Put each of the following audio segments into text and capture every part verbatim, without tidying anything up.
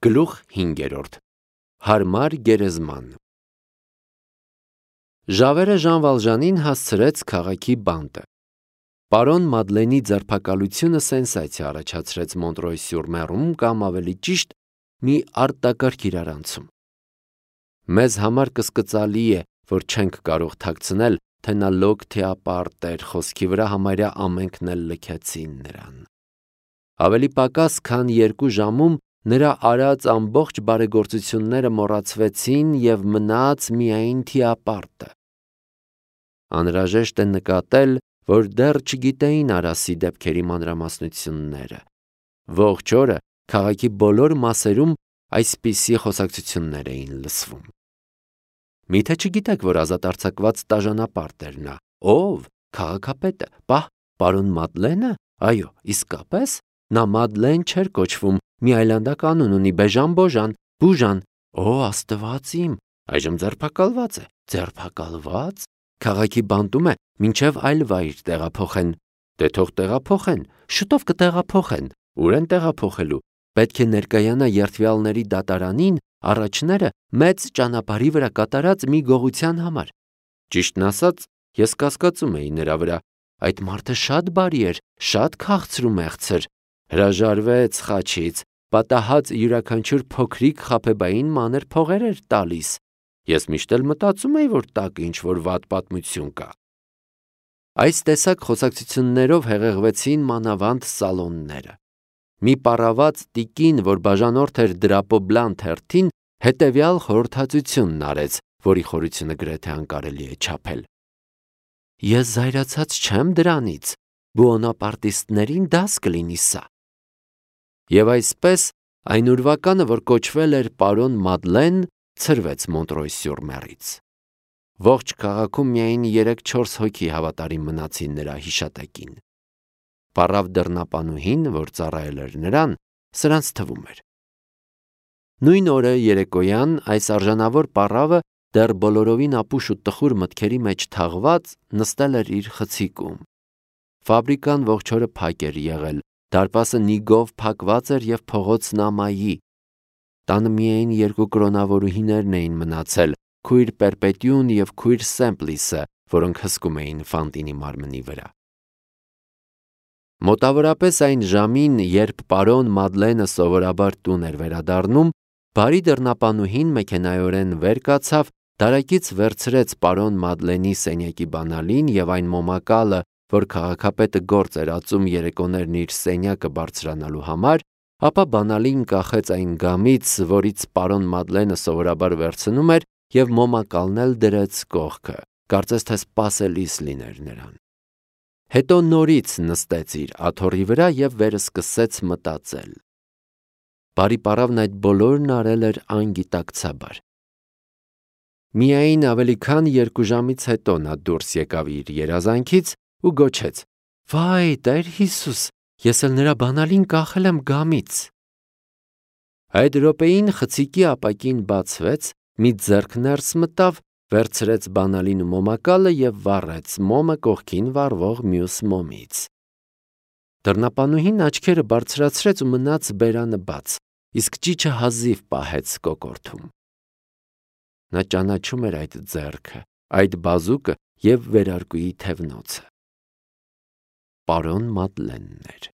Գլուխ հինգերորդ Հարմար գերեզման Ժավերը Ժան Վալժանին հասցրեց քաղաքի բանտը։ Պարոն Մադլենի ձերբակալությունը սենսացիա առաջացրեց Մոնտրոյ-սյուր-Մերում կամ ավելի ճիշտ մի արտակարգ իրարանցում։ Մեզ համար կսկծալի է, որ չենք կարող թաքցնել, թե նա լոկ թե ապարտ էր խոսքի վրա համարյա ամենքն էլ լքեցին նրան։ Ավելի պակաս, քան երկու ժամում նրա արած ամբողջ բարեգործությունները մոռացվեցին և մնաց միայն թիապարտը։ Անհրաժեշտ է նկատել, որ դեռ չգիտեին Արասի դեպքերի մանրամասնությունները։ Ողջ օրը քաղաքի բոլոր մասերում այսպիսի խոսակցություններ էին լսվում։ Միթե չգիտեք, որ ազատ արձակված տաժանապարտ էր նա։ Ո՞վ, քաղաքապետը, պահ, պարոն Մադլենը, այո, իսկապես, նա Մադլեն չէր կոչվում, մի այլանդակ անուն ունի, Բեժան-Բոժան, Բուժան, օ, Աստված իմ, այժմ ձերբակալված է, ձերբակալված, քաղաքի բանտում է, մինչև այլ վայր տեղափոխեն, դե թող տեղափոխեն, շուտով կտեղափոխեն, ուր են տեղափոխելու, պետք է ներկայանա երդվյալների դատարանին առաջները մեծ ճանապարհի վրա կատարած մի գողության համար։ Ճիշտն ասած, ես կասկածում էի նրա վրա, այդ մարդը շատ բարի էր, շատ քաղցր ու մեղցր, հրաժարվեց խաչից, պատահած յուրաքանչյուր փոքրիկ խաբեբային մանր փողեր էր տալիս։ Ես միշտ էլ մտածում էի, որ տակը ինչ-որ վատ պատմություն կա։ Այս տեսակ խոսակցություններով հեղեղվեցին մանավանդ սալոնները։ Մի պառաված տիկին, որ բաժանորդ էր Դրապոբլան թերթին, հետևյալ խորհրդածությունն արեց, որի խորությունը գրեթե անկարելի է չափել։ Ես զայրացած չեմ դրանից, բուոնապարտիստներին դաս կլինի սա։ Եվ այսպես, այն ուրվականը, որ կոչվել էր պարոն Մադլեն, ցրվեց Մոնտրոյ-սյուր-Մերից։ Ողջ քաղաքում միայն երեք-չորս հոգի հավատարիմ մնացին նրա հիշատակին։ Պառավ դռնապանուհին, որ ծառայել էր նրան, սրանց թվում էր։ Նույն օրը երեկոյան այս արժանավոր պառավը դեռ բոլորովին ապուշ ու տխուր մտքերի մեջ թաղված նստել էր իր խցիկում։ Ֆաբրիկան ողջ օրը փակ էր եղել, դարպասը նիգով փակված էր և փողոցն ամայի։ Տանը միայն երկու կրոնավորուհիներն էին մնացել, քույր Պերպետյուն և քույր Սեմպլիսը, որոնք հսկում էին Ֆանտինի մարմնի վրա։ Մոտավորապես այն ժամին, երբ պարոն Մադլենը սովորաբար տուն էր վերադառնում, բարի դռնապանուհին մեքենայորեն վեր կացավ, դարակից վերցրեց պարոն Մադլենի սենյակի բանալին և այն մոմակալը, որ քաղաքապետը գործ էր ածում երեկոներն իր սենյակը բարձրանալու համար, ապա բանալին կախեց այն գամից, որից պարոն Մադլենը սովորաբար վերցնում էր, և մոմակալն էլ դրեց կողքը, կարծես թե սպասելիս լիներ նրան։ Հետո նորից նստեց իր աթոռի վրա և վերսկսեց մտածել։ Բարի պառավն այդ բոլորն արել էր անգիտակցաբար։ Միայն ավելի քան երկու ժամից հետո նա դուրս եկավ իր երազանքից ու գոչեց. «Վայ, Տեր Հիսուս, ես էլ նրա բանալին կախել եմ գամից»։ Այդ րոպեին խցիկի ապակին բացվեց, մի ձեռք ներս մտավ, վերցրեց բանալին ու մոմակալը և վառեց մոմը կողքին վառվող մյուս մոմից։ Դռնապանուհին աչքերը բարձրացրեց ու մնաց բերանը բաց, իսկ ճիչը հազիվ պահեց կոկորդում։ Նա ճանաչում էր այդ ձեռքը, այդ բազուկը և վերարկուի թևնոցը։ Պարոն Մադլենն էր։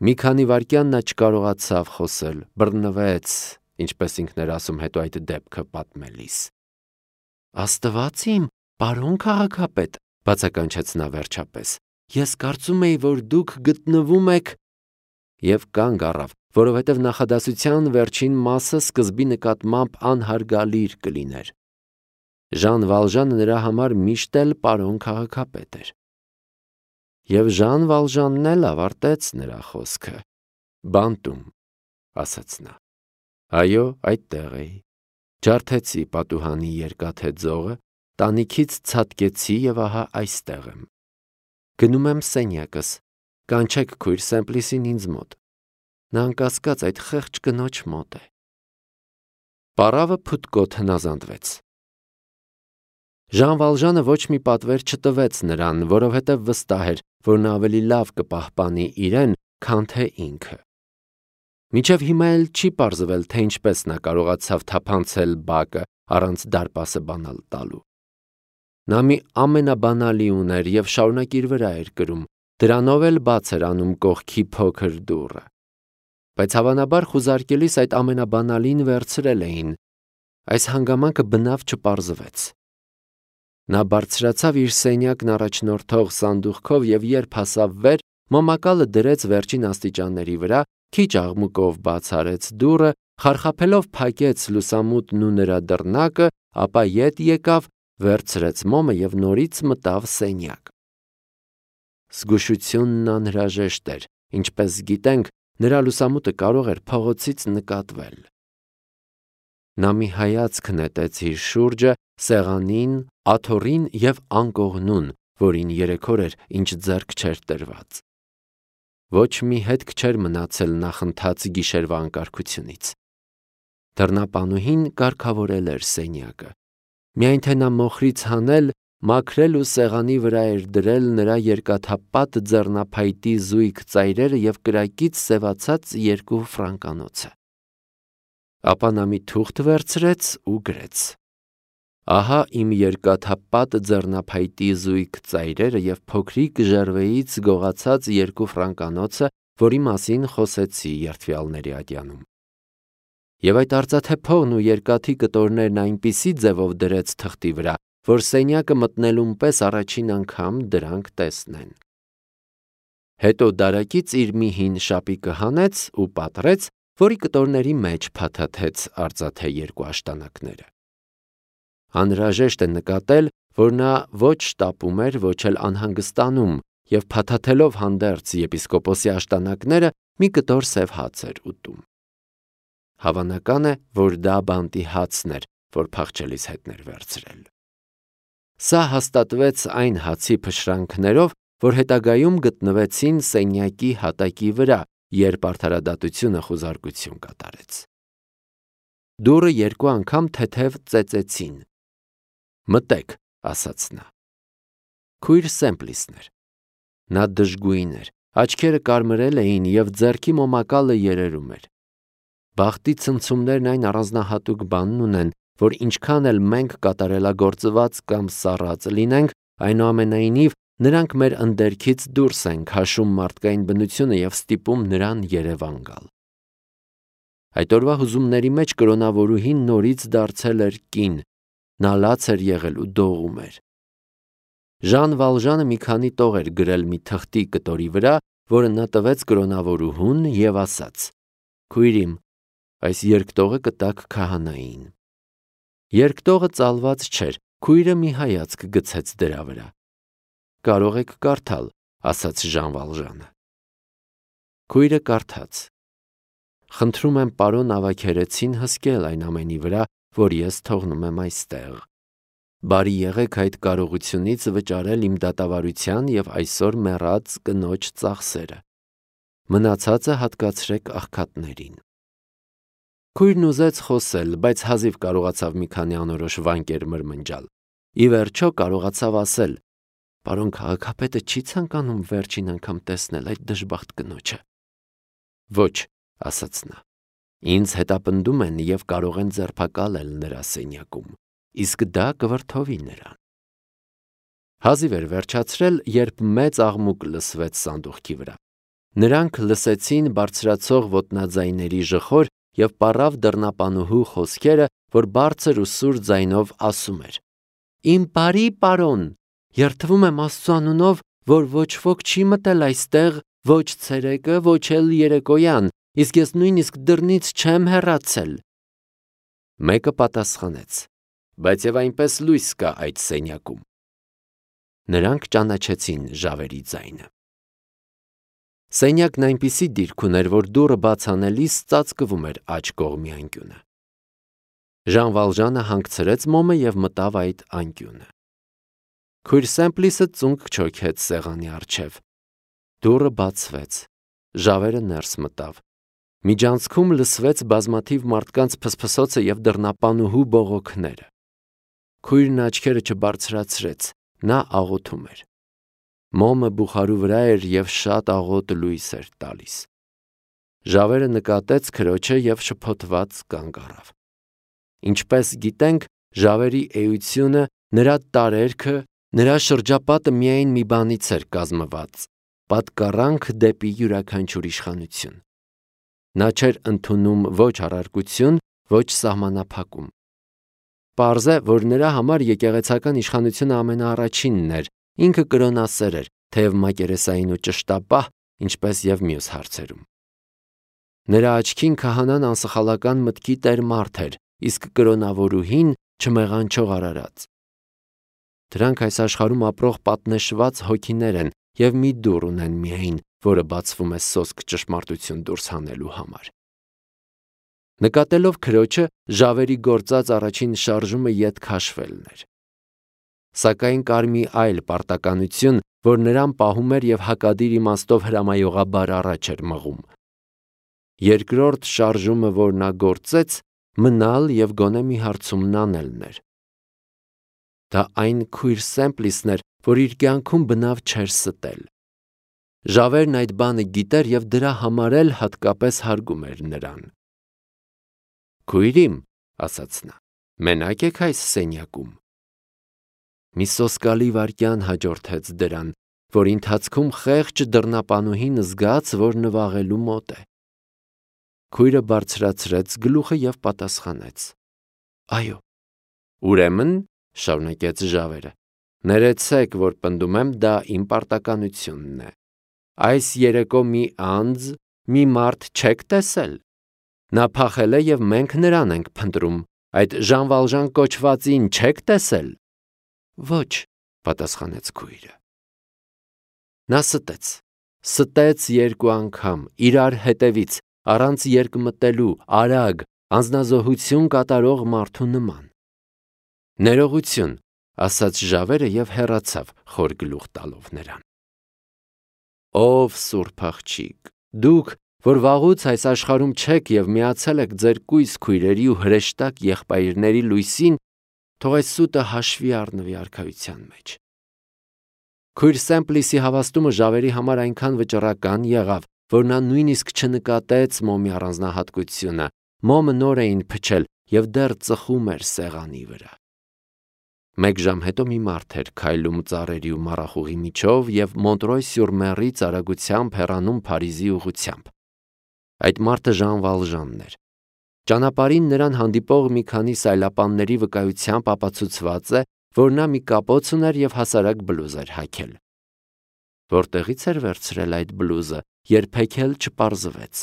Մի քանի վայրկյան նա չկարողացավ խոսել, բռնվեց, ինչպես ինքն էր ասում հետո այդ դեպքը պատմելիս։ Աստված իմ, պարոն քաղաքապետ, բացականչեց նա վերջապես, ես կարծում էի, որ դուք գտնվում եք… Եվ կանգ առավ, որովհետև նախադասության վերջին մասը սկզբի նկատմամբ անհարգալիր կլիներ։ Ժան Վալժանը նրա համար միշտ էլ պարոն քաղաքապետ էր։ Եվ Ժան Վալժանն էլ ավարտեց նրա խոսքը։ Բանտում, ասաց նա։ Այո, այդտեղ էի։ Ջարդեցի պատուհանի երկաթե ձողը, տանիքից ցատկեցի և ահա այստեղ եմ։ Գնում եմ սենյակս, կանչեք քույր Սեմպլիսին ինձ մոտ։ Նա անկասկած այդ խեղճ կնոջ մոտ է։ Պառավը փութկոտ հնազանդվեց։ Ժան Վալժանը ոչ մի պատվեր չտվեց նրան, որովհետև վստահ էր, որ նա ավելի լավ կպահպանի իրեն, քան թե ինքը։ Մինչև հիմա էլ չի պարզվել, թե ինչպես նա կարողացավ թափանցել բակը առանց դարպասը բանալ տալու։ Նա մի ամենաբանալի ուներ և շարունակ իր վրա էր կրում, դրանով էլ բաց էր անում կողքի փոքր դուռը։ Բայց հավանաբար խուզարկելիս այդ ամենաբանալին վերցրել էին։ Այս հանգամանքը բնավ չպարզվեց։ Նա բարձրացավ իր սենյակն առաջնորդող սանդուղքով և երբ հասավ վեր, մոմակալը դրեց վերջին աստիճանների վրա, քիչ աղմուկով բաց արեց դուռը, խարխափելով փակեց լուսամուտն ու նրա դռնակը, ապա ետ եկավ, վերցրեց մոմը և նորից մտավ սենյակ։ Զգուշությունն անհրաժեշտ էր, ինչպես գիտենք, նրա լուսամուտը կարող էր փողոցից նկատվել։ Նա մի հայացք նետեց իր շուրջը, սեղանին, աթոռին և անկողնուն, որին երեք օր էր, ինչ ձեռք չէր տրված։ Ոչ մի հետք չէր մնացել նախընթաց գիշերվա անկարգությունից։ Դռնապանուհին կարգավորել էր սենյակը։ Միայն թե նա մոխրից հանել, մաքրել ու սեղանի վրա էր դրել նրա երկաթապատ ձեռնափայտի զույգ ծայրերը և կրակից սևացած երկու ֆրանկանոցը։ Ապա նա մի թուղթ վերցրեց ու գրեց. «Ահա իմ երկաթապատ ձեռնափայտի զույգ ծայրերը և փոքրիկ ժերվեից գողացած երկու ֆրանկանոցը, որի մասին խոսեցի երդվյալների ատյանում»։ Եվ այդ արծաթե փողն ու երկաթի կտորներն այնպիսի ձևով դրեց թղթի վրա, որ սենյակը մտնելուն պես առաջին անգամ դրանք տեսնեն։ Հետո դարակից իր մի հին շապիկը հանեց ու պատռեց, որի կտորների մեջ փաթաթեց արծաթե երկու աշտանակները։ Անհրաժեշտ է նկատել, որ նա ոչ շտապում էր, ոչ էլ անհանգստանում և փաթաթելով հանդերձ եպիսկոպոսի աշտանակները մի կտոր սև հաց էր ուտում։ Հավանական է, որ դա բանտի հացն էր, որ փախչելիս հետն էր վերցրել։ Սա հաստատվեց այն հացի փշրանքներով, որ հետագայում գտնվեցին սենյակի հատակի վրա, երբ արդարադատությունը խուզարկություն կատարեց։ Դուռը երկու անգամ թեթև ծեծեցին։ «Մտեք», ասաց նա։ Քույր Սեմպլիսն էր։ Նա դժգույն էր, աչքերը կարմրել էին և ձեռքի մոմակալը երերում էր։ Բախտի ցնցումներն այն առանձնահատուկ բանն ունեն, որ ինչքան էլ մենք կատարելագործված կամ սառած լինենք, այնուամենայնիվ նրանք մեր ընդերքից դուրս են քաշում մարդկային բնությունը և ստիպում նրան երևան գալ։ Այդ օրվա հուզումների մեջ կրոնավորուհին նորից դարձել էր կին, նա լաց էր եղել ու դողում էր։ Ժան Վալժանը մի քանի տող էր գրել մի թղթի կտորի վրա, որը նա տվեց կրոնավորուհուն և ասաց. «Քույր իմ, այս երկտողը կտաք քահանային»։ Երկտողը ծալված չէր, քույրը մի հայացք գցեց դրա վրա։ «Կարող եք կարդալ», ասաց Ժան Վալժանը։ Քույրը կարդաց. «Խնդրում եմ պարոն Ավագերեցին հսկել այն ամենի վրա, որ ես թողնում եմ այստեղ։ Բարի եղեք այդ կարողությունից վճարել իմ դատավարության և այսօր մեռած կնոջ ծախսերը։ Մնացածը հատկացրեք աղքատներին»։ Քույրն ուզեց խոսել, բայց հազիվ կարողացավ մի քանի անորոշ վանկեր մրմնջալ։ Ի վերջո կարողացավ ասել. «Պարոն քաղաքապետը չի ցանկանում վերջին անգամ տեսնել այդ դժբախտ կնոջը»։ «Ոչ», ասաց նա, «ինձ հետապնդում են և կարող են ձերբակալել նրա սենյակում, իսկ դա կվրդովի նրան»։ Հազիվ էր վերջացրել, երբ մեծ աղմուկ լսվեց սանդուղքի վրա։ Նրանք լսեցին բարձրացող ոտնաձայների ժխոր և պառավ դռնապանուհու խոսքերը, որ բարձր ու սուր ձայնով ասում էր. «Իմ բարի պարոն, երդվում եմ Աստծու անունով, որ ոչ ոք չի մտել այստեղ ոչ ցերեկը, ոչ էլ երեկոյան, իսկ ես նույնիսկ դռնից չեմ հեռացել»։ Մեկը պատասխանեց. «Բայց և այնպես լույս կա այդ սենյակում»։ Նրանք ճանաչեցին ժավերի ձայնը։ Սենյակն այնպիսի դիրք ուներ, որ դուռը բաց անելիս ծածկվում էր աջ կողմի անկյունը։ Ժան Վալժանը հանգցրեց մոմը և մտավ այդ անկյունը։ Քույր Սեմպլիսը ծունկ չոքեց սեղանի առջև։ Դուռը բացվեց։ Ժավերը ներս մտավ։ Միջանցքում լսվեց բազմաթիվ մարդկանց փսփսոցը և դռնապանուհու բողոքները։ Քույրն աչքերը չբարձրացրեց, նա աղոթում էր։ Մոմը բուխարու վրա էր և շատ աղոտ լույս էր տալիս։ Ժավերը նկատեց քրոջը և շփոթված կանգ առավ։ Ինչպես գիտենք, ժավերի էությունը, նրա տարերքը, նրա շրջապատը միայն մի բանից էր կազմված՝ պատկառանք դեպի յուրաքանչյուր իշխանություն։ Նա չէր ընդունում ոչ առարկություն, ոչ սահմանափակում։ Պարզ է, որ նրա համար եկեղեցական իշխանությունը ամենաառաջինն էր, ինքը կրոնասեր էր, թեև մակերեսային ու ճշտապահ, ինչպես և մյուս հարցերում։ Նրա աչքին քահանան անսխալական մտքի տեր մարդ էր, իսկ կրոնավորուհին չմեղանչող արարած։ Դրանք այս աշխարհում ապրող պատնեշված հոգիներ են և մի դուռ ունեն միայն, որը բացվում է սոսկ ճշմարտություն դուրս հանելու համար։ Նկատելով քրոջը, ժավերի գործած առաջին շարժումը ետ քաշվելն էր։ Սակայն կար մի այլ պարտականություն, որ նրան պահում էր և հակադիր իմաստով հրամայողաբար առաջ էր մղում։ Երկրորդ շարժումը, որ նա գործեց, մնալ և գոնե մի հարցումն անելն էր։ Դա այն քույր Սեմպլիսն էր, որ իր կյանքում բնավ չէր ստել։ Ժավերն այդ բանը գիտեր և դրա համար էլ հատկապես հարգում էր նրան։ «Քույր իմ», ասաց նա, «մենակ եք այս սենյակում»։ Մի սոսկալի վայրկյան հաջորդեց դրան, որի ընթացքում խեղճ դռնապանուհին զգաց, որ նվաղելու մոտ է։ Քույրը բարձրացրեց գլուխը և պատասխանեց. «Այո»։ «Ուրեմն», շարունակեց ժավերը, «ներեցեք, որ պնդում եմ, դա իմ պարտականությունն է։ Այս երեկո մի անձ, մի մարդ չեք տեսել։ Նա փախել է և մենք նրան ենք փնտրում։ Այդ Ժան Վալժան կոչվածին չեք տեսել»։ «Ոչ», պատասխանեց քույրը։ Նա ստեց։ Ստեց երկու անգամ, իրար հետևից, առանց երկմտելու, արագ, անձնազոհություն կատարող մարդու նման։ «Ներողություն», ասաց ժավերը և հեռացավ, խոր գլուխ տալով նրան։ Ով սուրբ աղջիկ, դուք, որ վաղուց այս աշխարհում չեք և միացել եք ձեր կույս քույրերի ու հրեշտակ եղբայրների լույսին, թող այս սուտը հաշվի առնվի արքայության մեջ։ Քույր Սեմպլիսի հավաստումը ժավերի համար այնքան վճռական եղավ, որ նա նույնիսկ չնկատեց մոմի առանձնահատկությունը։ Մոմը նոր էին փչել և դեռ ծխում էր սեղանի վրա։ Մեկ ժամ հետո մի մարդ էր քայլում ծառերի ու մառախուղի միջով և Մոնտրոյ-սյուր-Մեռից արագությամբ հեռանում Փարիզի ուղղությամբ։ Այդ մարդը Ժան Վալժանն էր։ Ճանապարհին նրան հանդիպող մի քանի սայլապանների վկայությամբ ապացուցված է, որ նա մի կապոց ուներ և հասարակ բլուզ էր հագել։ Որտեղից էր վերցրել այդ բլուզը, երբեք էլ չպարզվեց։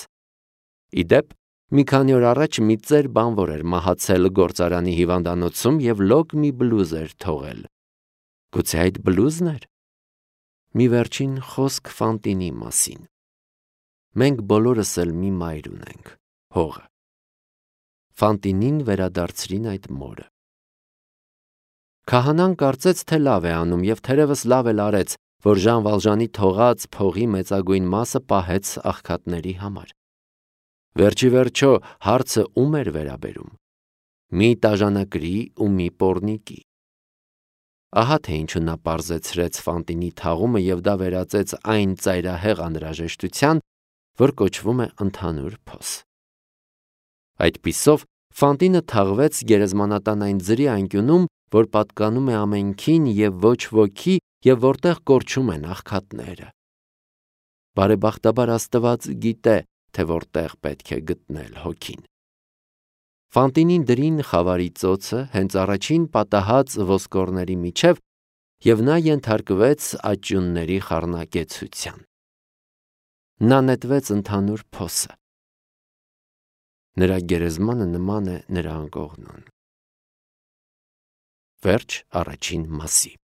Ի դեպ, մի քանի օր առաջ մի ծեր բանվոր էր մահացել գործարանի հիվանդանոցում և լոկ մի բլուզ էր թողել։ Գուցե այդ բլուզն էր։ Մի վերջին խոսք Ֆանտինի մասին։ Մենք բոլորս էլ մի մայր ունենք՝ հողը։ Ֆանտինին վերադարձրին այդ մորը։ Քահանան կարծեց, թե լավ է անում և թերևս լավ էլ արեց, որ Ժան Վալժանի թողած փողի մեծագույն մասը պահեց աղքատների համար։ Վերջի վերջո հարցը ում էր վերաբերում։ Մի տաժանակրի ու մի պոռնիկի։ Ահա թե ինչու նա պարզեցրեց Ֆանտինի թաղումը և դա վերածեց այն ծայրահեղ անհրաժեշտության, որ կոչվում է ընդհանուր փոս։ Այդպիսով Ֆանտինը թաղվեց գերեզմանատան այն ձրի անկյունում, որ պատկանում է ամենքին և ոչ ոքի և որտեղ կորչում են աղքատները։ Բարեբախտաբար Աստված գիտե, թե որտեղ պետք է գտնել հոգին։ Ֆանտինին դրին խավարի ծոցը հենց առաջին պատահած ոսկորների միջև և նա ենթարկվեց աճյունների խառնակեցության։ Նա նետվեց ընդհանուր փոսը։ Նրա գերեզմանը նման է նրա անկողնուն։ Վերջ առաջին մասի։